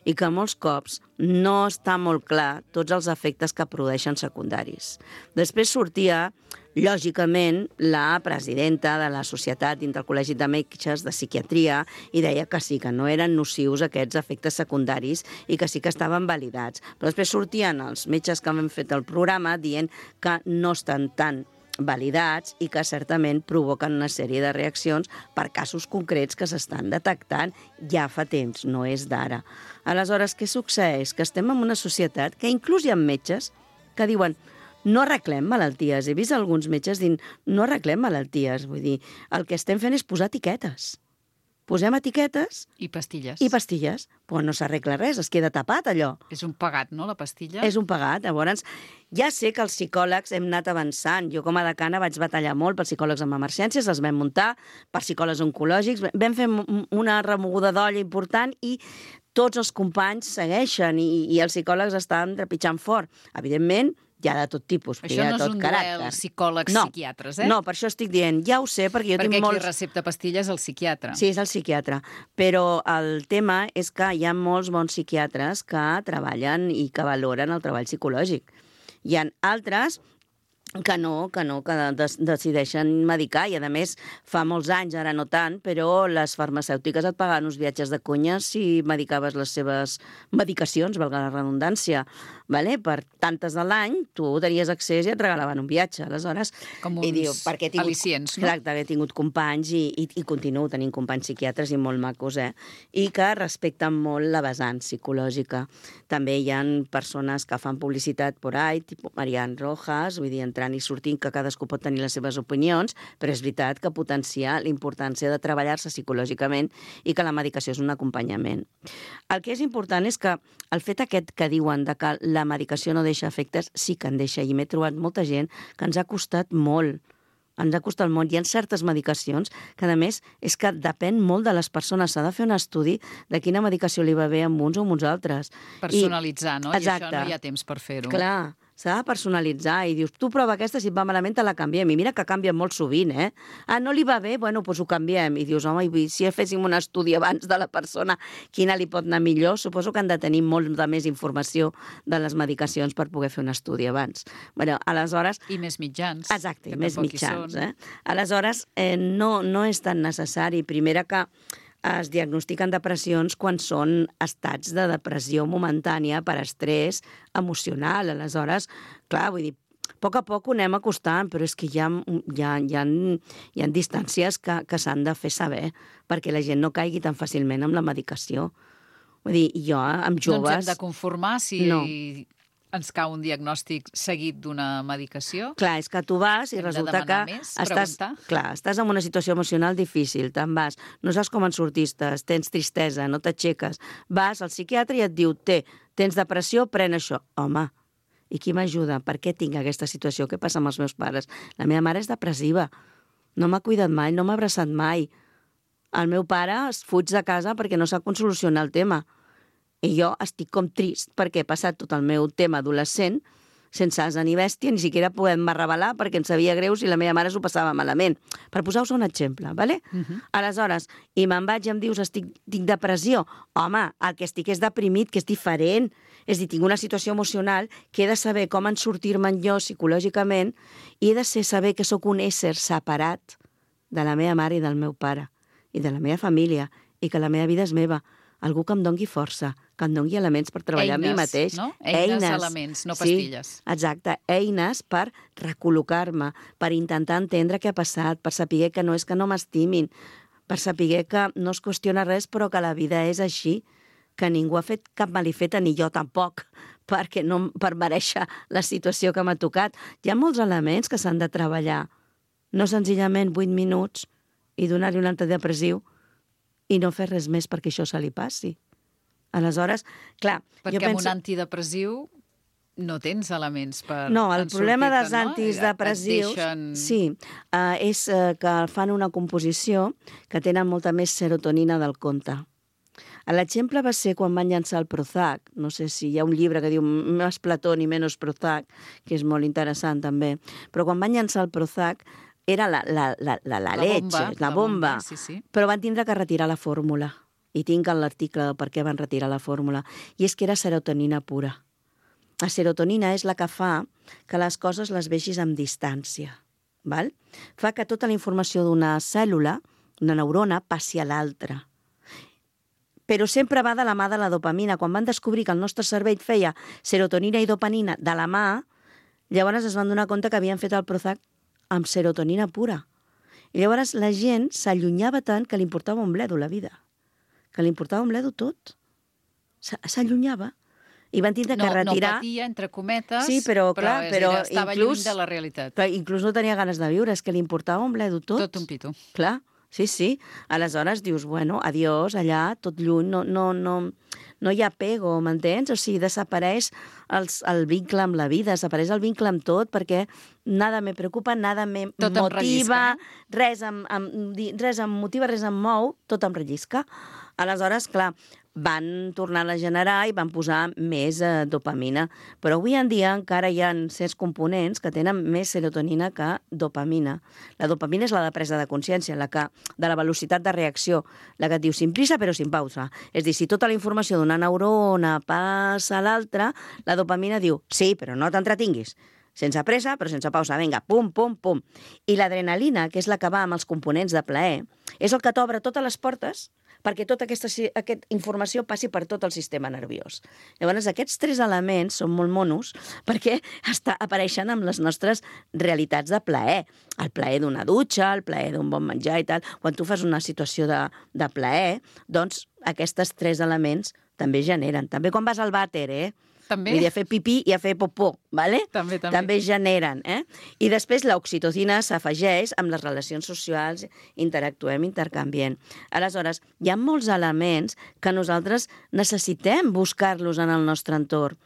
i que molts cops no està molt clar tots els efectes que produeixen secundaris. Després sortia, lògicament, la presidenta de la Societat dintre el Col·legi de Metges de Psiquiatria i deia que sí, que no eren nocius aquests efectes secundaris i que sí que estaven validats. Però després sortien els metges que han fet el programa dient que no estan tan validats i que certament provoquen una sèrie de reaccions per casos concrets que s'estan detectant ja fa temps, no és d'ara. Aleshores, què succeeix? Que estem en una societat que inclús hi ha metges que diuen no arreglem malalties. He vist alguns metges dient no arreglem malalties. Vull dir, el que estem fent és posar etiquetes. Posem etiquetes... I pastilles. I pastilles. Però no s'arregla res, es queda tapat allò. És un pagat, no, la pastilla? És un pagat. Llavors, ja sé que els psicòlegs hem anat avançant. Jo com a decana vaig batallar molt pels psicòlegs amb emergències, els vam muntar, per psicòlegs oncològics, vam fer una remoguda d'olla important i tots els companys segueixen i, i els psicòlegs estan trepitjant fort. Evidentment, hi ha de tot tipus, això hi ha no tot és un caràcter. duel psicòlegs-psiquiatres, eh? No, per això estic dient, ja ho sé, perquè jo perquè tinc molts... Perquè qui recepta pastilles és el psiquiatre. Sí, és el psiquiatre. Però el tema és que hi ha molts bons psiquiatres que treballen i que valoren el treball psicològic. Hi ha altres que no, que no, que des decideixen medicar, i a més fa molts anys, ara no tant, però les farmacèutiques et pagaven uns viatges de conya si medicaves les seves medicacions, valga la redundància, vale? Per tantes de l'any tu tenies accés i et regalaven un viatge, aleshores... Com uns i diu, perquè he tingut, al·licients, no? Exacte, he tingut companys i, i, i continuo tenint companys psiquiatres i molt macos, eh? I que respecten molt la vessant psicològica. També hi ha persones que fan publicitat por ahí, tipus Marian Rojas, vull dir, entrant i sortint, que cadascú pot tenir les seves opinions, però és veritat que potencia la importància de treballar-se psicològicament i que la medicació és un acompanyament. El que és important és que el fet aquest que diuen de que la medicació no deixa efectes, sí que en deixa, i m'he trobat molta gent que ens ha costat molt. Ens ha costat molt. Hi ha certes medicacions que, a més, és que depèn molt de les persones. S'ha de fer un estudi de quina medicació li va bé amb uns o amb uns altres. Personalitzar, I... no? Exacte. I això no hi ha temps per fer-ho. Clar, s'ha de personalitzar i dius, tu prova aquesta, si et va malament te la canviem. I mira que canvia molt sovint, eh? Ah, no li va bé? Bueno, doncs ho canviem. I dius, home, si féssim un estudi abans de la persona, quina li pot anar millor? Suposo que han de tenir molt de més informació de les medicacions per poder fer un estudi abans. Bueno, aleshores... I més mitjans. Exacte, i més mitjans. Eh? Aleshores, eh, no, no és tan necessari. Primera que es diagnostiquen depressions quan són estats de depressió momentània per estrès emocional. Aleshores, clar, vull dir, a poc a poc ho anem acostant, però és que hi ha, hi ha, hi ha, hi ha distàncies que, que s'han de fer saber perquè la gent no caigui tan fàcilment amb la medicació. Vull dir, jo amb joves... No ens hem de conformar si... No. ens cau un diagnòstic seguit d'una medicació. Clar, és que tu vas i hem resulta que més, estàs, clar, estàs en una situació emocional difícil, te'n vas, no saps com en sortistes, tens tristesa, no t'aixeques, vas al psiquiatre i et diu, té, tens depressió, pren això. Home, I qui m'ajuda? Per què tinc aquesta situació? Què passa amb els meus pares? La meva mare és depressiva. No m'ha cuidat mai, no m'ha abraçat mai. El meu pare es fuig de casa perquè no sap com solucionar el tema. I jo estic com trist perquè he passat tot el meu tema adolescent sense asa ni bèstia, ni siquiera podem revelar perquè em sabia greu si la meva mare s'ho passava malament. Per posar-vos un exemple, ¿vale? Uh-huh. Aleshores, i me'n vaig i em dius, estic, tinc depressió. Home, el que estic és deprimit, que és diferent. És a dir, tinc una situació emocional que he de saber com en sortir-me'n jo psicològicament i he de ser saber que sóc un ésser separat de la meva mare i del meu pare i de la meva família i que la meva vida és meva. Algú que em dongui força, que em dongui elements per treballar eines, a mi mateix. No? Eines, eines, elements, no pastilles. Sí, exacte, eines per recol·locar-me, per intentar entendre què ha passat, per saber que no és que no m'estimin, per saber que no es qüestiona res, però que la vida és així, que ningú ha fet cap malifeta, ni jo tampoc, perquè no, per mereixer la situació que m'ha tocat. Hi ha molts elements que s'han de treballar, no senzillament vuit minuts i donar-li un antidepressiu i no fer res més perquè això se li passi. Aleshores, clar... Perquè jo penso... amb un antidepressiu no tens elements per No, el problema dels no? antidepressius deixen... sí, uh, és uh, que fan una composició que tenen molta més serotonina del compte. L'exemple va ser quan van llançar el Prozac. No sé si hi ha un llibre que diu Més Platón i Menos Prozac, que és molt interessant també. Però quan van llançar el Prozac era la, la, la, la, la, la leche, bomba, la bomba, la bomba sí, sí. Però van tindre que retirar la fórmula. I tinc l'article de per què van retirar la fórmula. I és que era serotonina pura. La serotonina és la que fa que les coses les vegis amb distància. Val? Fa que tota la informació d'una cèl·lula, una neurona, passi a l'altra. Però sempre va de la mà de la dopamina. Quan van descobrir que el nostre cervell feia serotonina i dopamina de la mà, llavors es van donar compte que havien fet el Prozac amb serotonina pura. I llavors la gent s'allunyava tant que li importava un bledo la vida. Que li importava un bledo tot. S'allunyava. I van tindre no, que retirar... No patia, entre cometes, sí, però, clar, però, però dir, estava inclús, lluny de la realitat. Però inclús no tenia ganes de viure, és que li importava un bledo tot. Tot un pito. Clar, sí, sí. Aleshores dius, bueno, adiós, allà, tot lluny, no, no, no, no hi ha apego, m'entens? O sigui, desapareix els, el vincle amb la vida, desapareix el vincle amb tot, perquè nada me preocupa, nada me tot motiva, em no? res, em, em, res em motiva, res em mou, tot em rellisca. Aleshores, clar, van tornar a generar i van posar més eh, dopamina. Però avui en dia encara hi ha certs components que tenen més serotonina que dopamina. La dopamina és la de presa de consciència, la que, de la velocitat de reacció, la que et diu sin prisa però sin pausa. És a dir, si tota la informació d'una neurona passa a l'altra, la dopamina diu sí, però no t'entretinguis. Sense pressa, però sense pausa. Vinga, pum, pum, pum. I l'adrenalina, que és la que va amb els components de plaer, és el que t'obre totes les portes perquè tota aquesta, aquesta informació passi per tot el sistema nerviós. Llavors, aquests tres elements són molt monos perquè està, apareixen amb les nostres realitats de plaer. El plaer d'una dutxa, el plaer d'un bon menjar i tal. Quan tu fas una situació de, de plaer, doncs aquests tres elements també generen. També quan vas al vàter, eh? També? Vull dir, a fer pipí i a fer popó, ¿vale? També, també. També generen, eh? I després l'oxitocina s'afegeix amb les relacions socials, interactuem, intercanviem. Aleshores, hi ha molts elements que nosaltres necessitem buscar-los en el nostre entorn.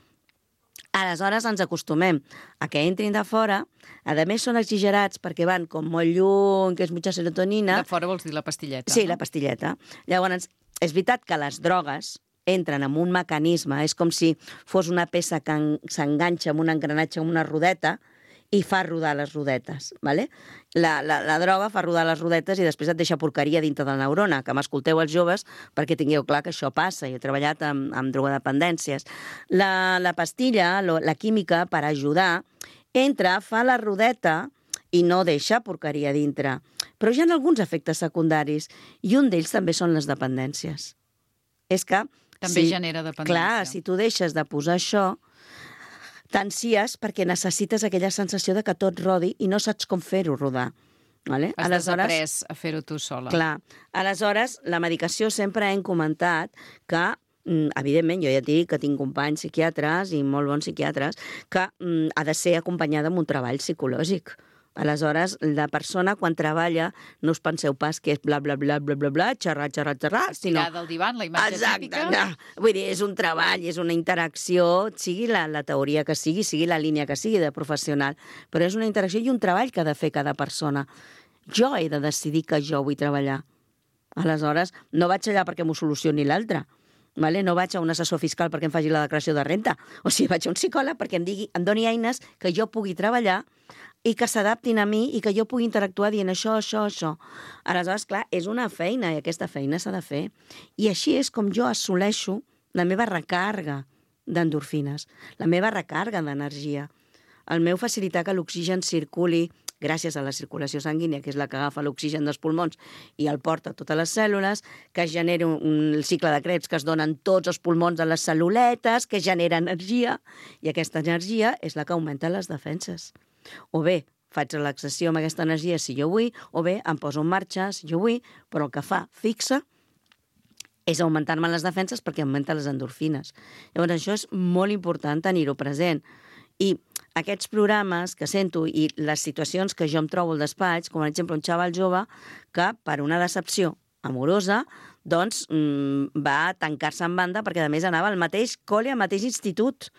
Aleshores ens acostumem a que entrin de fora, a més són exagerats perquè van com molt lluny, que és mucha serotonina. De fora vols dir la pastilleta. Sí, no? La pastilleta. Llavors, és veritat que les drogues entren en un mecanisme, és com si fos una peça que s'enganxa amb un engranatge, amb una rodeta, i fa rodar les rodetes, ¿vale? La, la, la droga fa rodar les rodetes i després et deixa porqueria dintre de la neurona, que m'escolteu els joves perquè tingueu clar que això passa. Jo he treballat amb, amb drogodependències. La, la pastilla, lo, la química, per ajudar, entra, fa la rodeta i no deixa porqueria dintre. Però hi ha alguns efectes secundaris i un d'ells també són les dependències. És que... També si, genera dependència. Clar, si tu deixes de posar això, t'ansies perquè necessites aquella sensació de que tot rodi i no saps com fer-ho rodar. Vale? Has aleshores, desaprès a fer-ho tu sola. Clar. Aleshores, la medicació sempre hem comentat que, evidentment, jo ja et dic que tinc companys psiquiatres i molt bons psiquiatres, que mm, ha de ser acompanyada amb un treball psicològic. Aleshores, la persona, quan treballa, no us penseu pas que és bla, bla, bla, bla, bla, bla, xerrar, xerrar, xerrar, sinó... Tirada al divan, la imatge Exacte, típica. no. Vull dir, és un treball, és una interacció, sigui la, la teoria que sigui, sigui la línia que sigui de professional, però és una interacció i un treball que ha de fer cada persona. Jo he de decidir que jo vull treballar. Aleshores, no vaig allà perquè m'ho solucioni l'altre. Vale? No vaig a un assessor fiscal perquè em faci la declaració de renta. O sigui, vaig a un psicòleg perquè em, digui, em doni eines que jo pugui treballar i que s'adaptin a mi i que jo pugui interactuar dient això, això, això. Aleshores, clar, és una feina i aquesta feina s'ha de fer. I així és com jo assoleixo la meva recàrrega d'endorfines, la meva recàrrega d'energia, el meu facilitar que l'oxigen circuli gràcies a la circulació sanguínia, que és la que agafa l'oxigen dels pulmons i el porta a totes les cèl·lules, que es genera un, un cicle de Krebs que es donen tots els pulmons a les cel·luletes, que genera energia, i aquesta energia és la que augmenta les defenses. O bé faig relaxació amb aquesta energia si jo vull, o bé em poso en marxa si jo vull, però el que fa fixa és augmentar-me les defenses perquè augmenta les endorfines. Llavors, això és molt important tenir-ho present. I aquests programes que sento i les situacions que jo em trobo al despatx, com per exemple un xaval jove que per una decepció amorosa doncs mmm, va tancar-se en banda perquè a més anava al mateix col·le, al mateix institut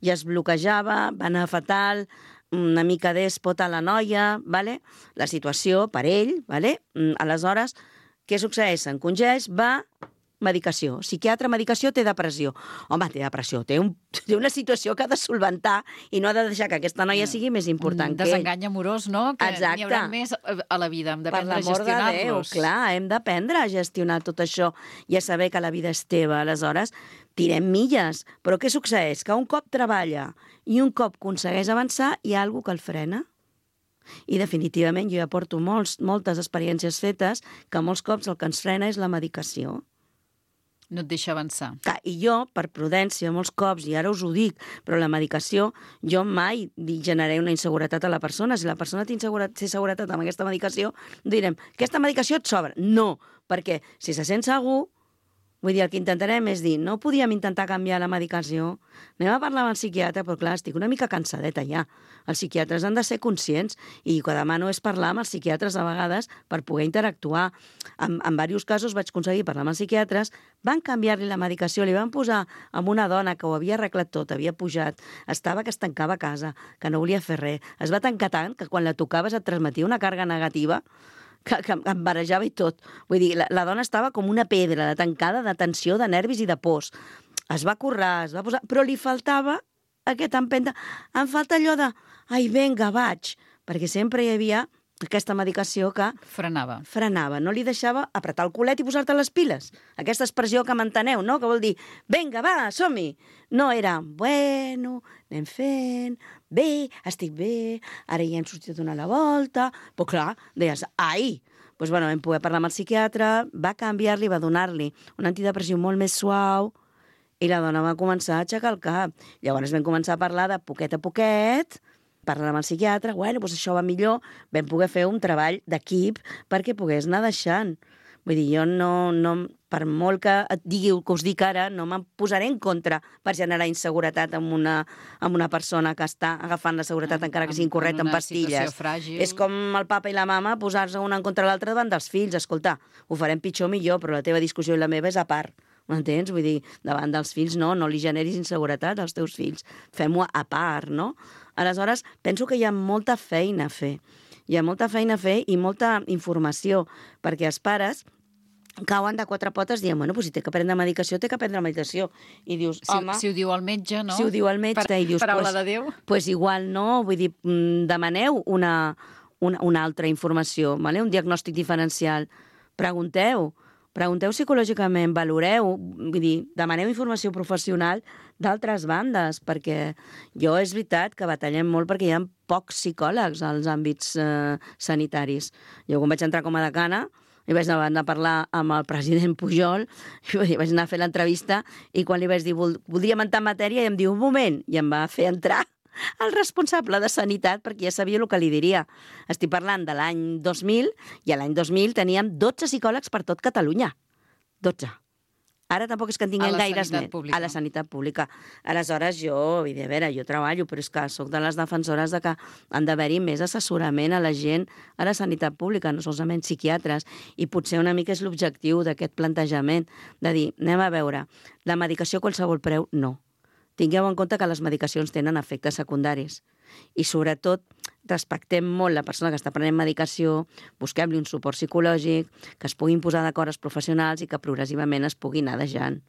i es bloquejava, va anar fatal, una mica dèspota la noia, vale? La situació per ell, vale? Aleshores, què succeeix? S'encongeix, va... medicació. Psiquiatre, medicació, té depressió. Home, té depressió, té, un, té una situació que ha de solventar i no ha de deixar que aquesta noia sigui més important un que ell. Desengany amorós, no? Que Exacte. n'hi haurà més a la vida, hem d'aprendre a Per l'amor de Déu, gestionar-los. clar, hem d'aprendre a gestionar tot això i a saber que la vida és teva. Aleshores, tirem milles. Però què succeeix? Que un cop treballa i un cop aconsegueix avançar, hi ha alguna que el frena. I definitivament jo ja porto molts, moltes experiències fetes que molts cops el que ens frena és la medicació. No et deixa avançar. Clar, i jo, per prudència, molts cops, i ara us ho dic, però la medicació, jo mai generaré una inseguretat a la persona. Si la persona té, inseguretat, té seguretat amb aquesta medicació, direm, aquesta medicació et sobra. No, perquè si se sent segur, vull dir, el que intentarem és dir, no podíem intentar canviar la medicació, anem a parlar amb el psiquiatre, però clar, estic una mica cansadeta ja. Els psiquiatres han de ser conscients i el que demano és parlar amb els psiquiatres a vegades per poder interactuar. En, en diversos casos vaig aconseguir parlar amb els psiquiatres, van canviar-li la medicació, li van posar amb una dona que ho havia arreglat tot, havia pujat, estava que es tancava a casa, que no volia fer res, es va tancar tant que quan la tocaves et transmetia una càrrega negativa que, que em barejava i tot. Vull dir, la, la dona estava com una pedra, de tancada, de tensió, de nervis i de pors. Es va currar, es va posar... Però li faltava aquesta empenta. Em falta allò de, ai, vinga, vaig. Perquè sempre hi havia aquesta medicació que... Frenava. Frenava, no li deixava apretar el culet i posar-te les piles. Aquesta expressió que m'enteneu, no? Que vol dir, vinga, va, som-hi. No, era, bueno, anem fent, bé, estic bé, ara ja hem sortit a donar la volta... Però clar, deies, ai! Doncs bueno, vam poder parlar amb el psiquiatre, va canviar-li, va donar-li un antidepressiu molt més suau i la dona va començar a aixecar el cap. Llavors vam començar a parlar de poquet a poquet, parlar amb el psiquiatre, bueno, doncs això va millor, vam poder fer un treball d'equip perquè pogués anar deixant. Vull dir, jo no, no, per molt que et digui el que us dic ara, no me'n posaré en contra per generar inseguretat amb una, amb una persona que està agafant la seguretat En- encara que en- sigui incorrecta en en una pastilles. situació fràgil. És com el papa i la mama posar-se una en contra l'altra davant dels fills. Escolta, ho farem pitjor o millor, però la teva discussió i la meva és a part. M'entens? Vull dir, davant dels fills no, no li generis inseguretat als teus fills. Fem-ho a part, no? Aleshores, penso que hi ha molta feina a fer. Hi ha molta feina a fer i molta informació, perquè els pares cauen de quatre potes dient, bueno, doncs si té que prendre medicació, té que prendre medicació. I dius, Si, home... si ho diu el metge, no? Si ho diu el metge, Per, i dius... paraula pues, de Déu. Pues igual no, vull dir, mm, demaneu una, una, una altra informació, vale? Un diagnòstic diferencial. Pregunteu, pregunteu psicològicament, valoreu, vull dir, demaneu informació professional d'altres bandes, perquè jo és veritat que batallem molt perquè hi ha pocs psicòlegs als àmbits eh, sanitaris. Jo quan vaig entrar com a decana, i vaig anar a parlar amb el president Pujol, i vaig anar a fer l'entrevista, i quan li vaig dir, Vol voldríem entrar en matèria, i em diu, un moment, i em va fer entrar el responsable de sanitat, perquè ja sabia el que li diria. Estic parlant de l'any dos mil, i a l'any dos mil teníem dotze psicòlegs per tot Catalunya. dotze. Ara tampoc és que en tinguem A la gaires sanitat més. pública. A la sanitat pública. Aleshores, jo, vull dir, a veure, jo treballo, però és que sóc de les defensores de que han d'haver-hi més assessorament a la gent a la sanitat pública, no solament psiquiatres, i potser una mica és l'objectiu d'aquest plantejament, de dir, anem a veure, la medicació a qualsevol preu, no. Tingueu en compte que les medicacions tenen efectes secundaris i, sobretot, respectem molt la persona que està prenent medicació, busquem-li un suport psicològic, que es puguin posar d'acord els professionals i que progressivament es pugui anar deixant.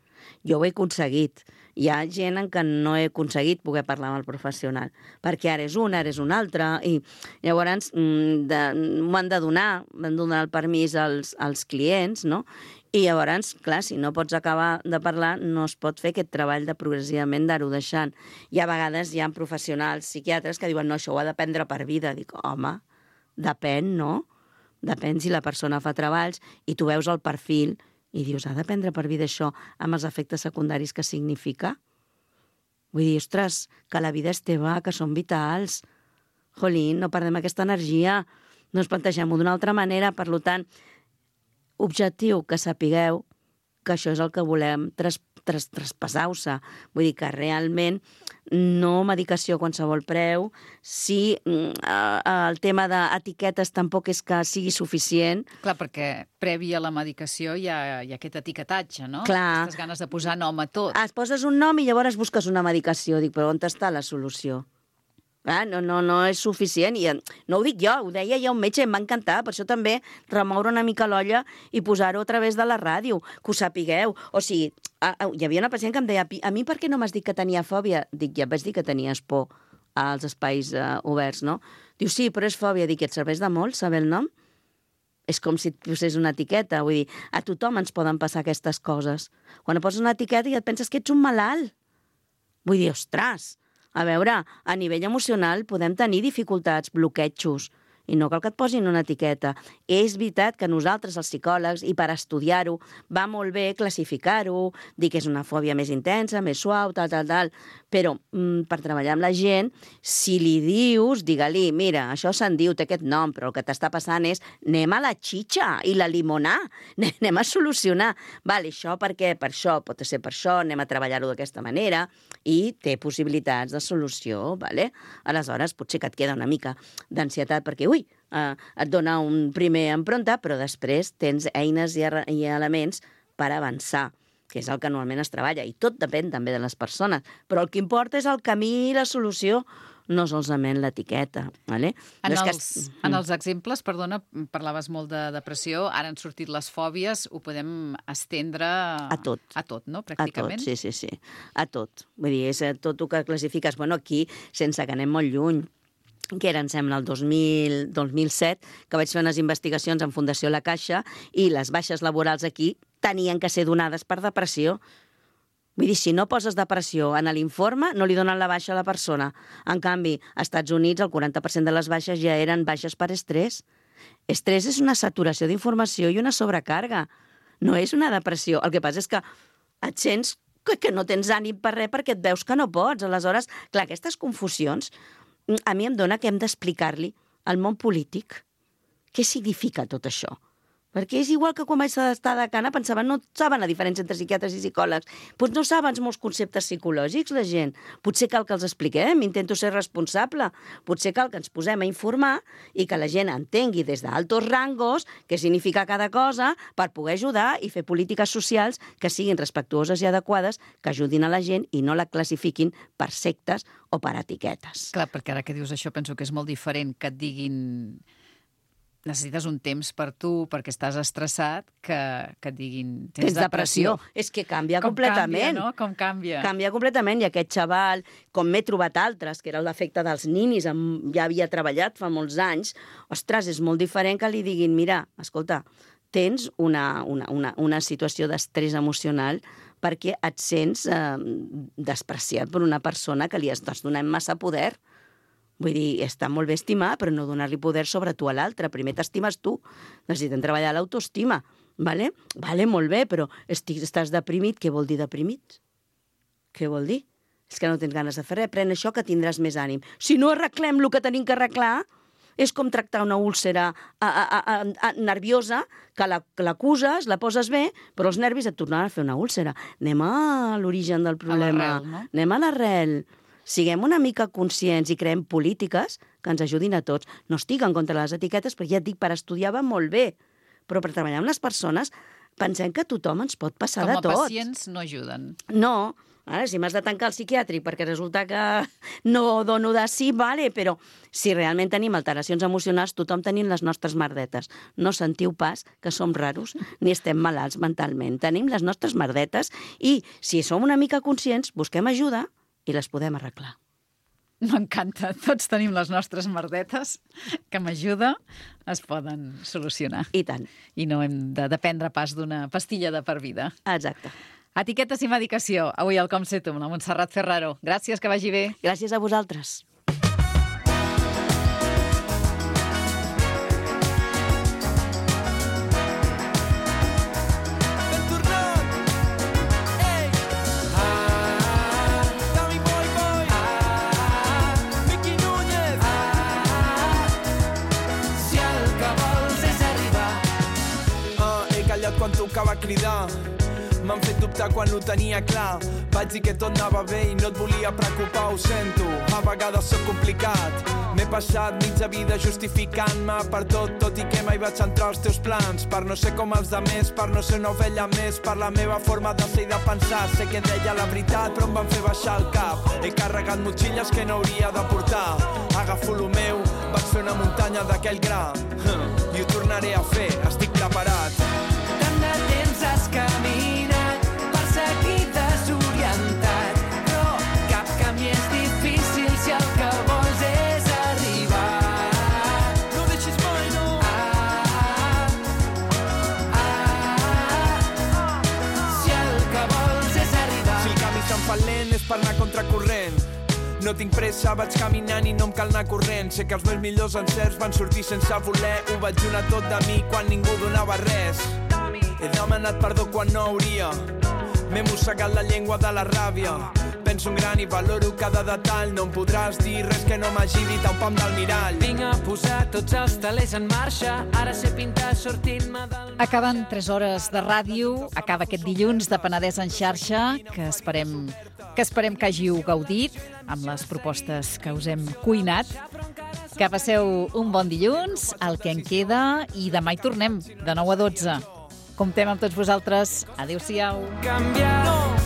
Jo ho he aconseguit. Hi ha gent en què no he aconseguit poder parlar amb el professional, perquè ara és un, ara és un altre, i llavors m'ho han de donar, m'han de donar el permís als, als clients, no? I llavors, clar, si no pots acabar de parlar, no es pot fer aquest treball de progressivament d'anar-ho deixant. I a vegades hi ha professionals, psiquiatres, que diuen, no, això ho ha d'aprendre per vida. Dic, home, depèn, no? Depèn si la persona fa treballs i tu veus el perfil i dius, ha d'aprendre per vida això amb els efectes secundaris que significa? Vull dir, ostres, que la vida és teva, que són vitals. Jolín, no perdem aquesta energia. No ens plantegem-ho d'una altra manera, per tant, objectiu, que sapigueu que això és el que volem tras, tras, traspassar-se. Vull dir que realment no medicació a qualsevol preu, si eh, el tema d'etiquetes tampoc és que sigui suficient. Clar, perquè previ a la medicació hi ha, hi ha aquest etiquetatge, no? Clar. Aquestes ganes de posar nom a tot. Es poses un nom i llavors busques una medicació. Dic, però on està la solució? Ah, no, no, no és suficient, i no ho dic jo, ho deia ja un metge, em va encantar, per això també remoure una mica l'olla i posar-ho a través de la ràdio, que ho sapigueu. O sigui, a, a, hi havia una pacient que em deia, a mi per què no m'has dit que tenia fòbia? Dic, ja vaig dir que tenies por als espais uh, oberts, no? Diu, sí, però és fòbia. Dic, et serveix de molt saber el nom? És com si et posés una etiqueta, vull dir, a tothom ens poden passar aquestes coses. Quan et poses una etiqueta i et penses que ets un malalt. Vull dir, ostres, a veure, a nivell emocional podem tenir dificultats, bloquejos, i no cal que et posin una etiqueta. És veritat que nosaltres, els psicòlegs, i per estudiar-ho, va molt bé classificar-ho, dir que és una fòbia més intensa, més suau, tal, tal, tal, però mm, per treballar amb la gent, si li dius, digue-li, mira, això se'n diu, té aquest nom, però el que t'està passant és anem a la xitxa i la limonar, anem a solucionar. Vale, això per què? Per això, pot ser per això, anem a treballar-ho d'aquesta manera, i té possibilitats de solució, vale? Aleshores, potser que et queda una mica d'ansietat, perquè, ui, Uh, et dona un primer empronta, però després tens eines i, i elements per avançar, que és el que normalment es treballa, i tot depèn també de les persones, però el que importa és el camí i la solució, no solament l'etiqueta. Vale? En, no els, que... en els exemples, perdona, parlaves molt de depressió, ara han sortit les fòbies, ho podem estendre a tot, a tot, no? Pràcticament. A tot, sí, sí, sí, a tot. Vull dir, és tot el que classifiques. Bueno, aquí, sense que anem molt lluny, que era, em sembla, el dos mil, dos mil set, que vaig fer unes investigacions en Fundació La Caixa, i les baixes laborals aquí tenien que ser donades per depressió. Vull dir, si no poses depressió en l'informe, no li donen la baixa a la persona. En canvi, als Estats Units, el quaranta per cent de les baixes ja eren baixes per estrès. Estrès és una saturació d'informació i una sobrecàrrega. No és una depressió. El que passa és que et sents que, que no tens ànim per res perquè et veus que no pots. Aleshores, clar, aquestes confusions a mi em dona que hem d'explicar-li al món polític què significa tot això. Perquè és igual que quan vaig estar de cana pensaven, no saben la diferència entre psiquiatres i psicòlegs. Doncs no saben molts conceptes psicològics, la gent. Potser cal que els expliquem, intento ser responsable. Potser cal que ens posem a informar i que la gent entengui des d'altos rangos què significa cada cosa per poder ajudar i fer polítiques socials que siguin respectuoses i adequades, que ajudin a la gent i no la classifiquin per sectes o per etiquetes. Clar, perquè ara que dius això penso que és molt diferent que et diguin necessites un temps per tu, perquè estàs estressat, que, que et diguin tens, tens depressió. depressió. És que canvia com completament. Canvia, no? Com canvia. Canvia completament, i aquest xaval, com m'he trobat altres, que era l'efecte dels ninis, amb, ja havia treballat fa molts anys, ostres, és molt diferent que li diguin, mira, escolta, tens una, una, una, una situació d'estrès emocional perquè et sents eh, despreciat per una persona que li estàs donant massa poder. Vull dir, està molt bé estimar, però no donar-li poder sobre tu a l'altre. Primer t'estimes tu. Necessitem treballar l'autoestima. Vale? Vale, molt bé, però estic, estàs deprimit. Què vol dir deprimit? Què vol dir? És que no tens ganes de fer res. Pren això que tindràs més ànim. Si no arreglem el que tenim que arreglar, és com tractar una úlcera a, a, a, a, nerviosa, que la- que l'acuses, la poses bé, però els nervis et tornaran a fer una úlcera. Anem a l'origen del problema. l'arrel, no? Anem a l'arrel. Siguem una mica conscients i creem polítiques que ens ajudin a tots. No estic en contra de les etiquetes, perquè ja et dic, per estudiar va molt bé, però per treballar amb les persones pensem que tothom ens pot passar Com de a tot. pacients no ajuden. No, ara, si m'has de tancar el psiquiàtric perquè resulta que no dono de sí, vale, però si realment tenim alteracions emocionals, tothom tenim les nostres merdetes. No sentiu pas que som raros ni estem malalts mentalment. Tenim les nostres merdetes i, si som una mica conscients, busquem ajuda i les podem arreglar. M'encanta. Tots tenim les nostres merdetes que m'ajuda, es poden solucionar. I tant. I no hem de dependre pas d'una pastilla de per vida. Exacte. Etiquetes i medicació. Avui al Com sé tu, amb la Montserrat Ferraro. Gràcies, que vagi bé. Gràcies a vosaltres. Si el que vols és arribar. Ah, he callat quan tocava cridar. M'han fet dubtar quan ho tenia clar. Vaig dir que tot anava bé i no et volia preocupar, ho sento. A vegades sóc complicat. M'he passat mitja vida justificant-me per tot, tot i que mai vaig entrar als teus plans. Per no ser com els demés, per no ser una ovella més, per la meva forma de ser i de pensar. Sé que deia la veritat, però em van fer baixar el cap. He carregat motxilles que no hauria de portar. Agafo lo meu, vaig fer una muntanya d'aquell gra. I ho tornaré a fer, estic preparat. Tant de temps has caminat per seguir desorientat, però cap camí és difícil si el que vols és arribar. No deixis mai, no. Ah, ah, si el que vols és arribar. Si el camí se'm fa lent és per anar contracorrent. No tinc pressa, vaig caminant i no em cal anar corrent. Sé que els meus millors encerts van sortir sense voler. Ho vaig donar tot de mi quan ningú donava res. He demanat perdó quan no hauria. M'he mossegat la llengua de la ràbia. Penso en gran i valoro cada detall. No em podràs dir res que no m'hagi dit a un pam del mirall. Vinc a posar tots els talers en marxa. Ara sé pintar sortint-me del... Acaben tres hores de ràdio, acaba aquest dilluns de Penedès en xarxa, que esperem que esperem que hàgiu gaudit amb les propostes que us hem cuinat. Que passeu un bon dilluns, el que en queda, i demà hi tornem, de nou a dotze. Comptem amb tots vosaltres. Adéu-siau. Canviar.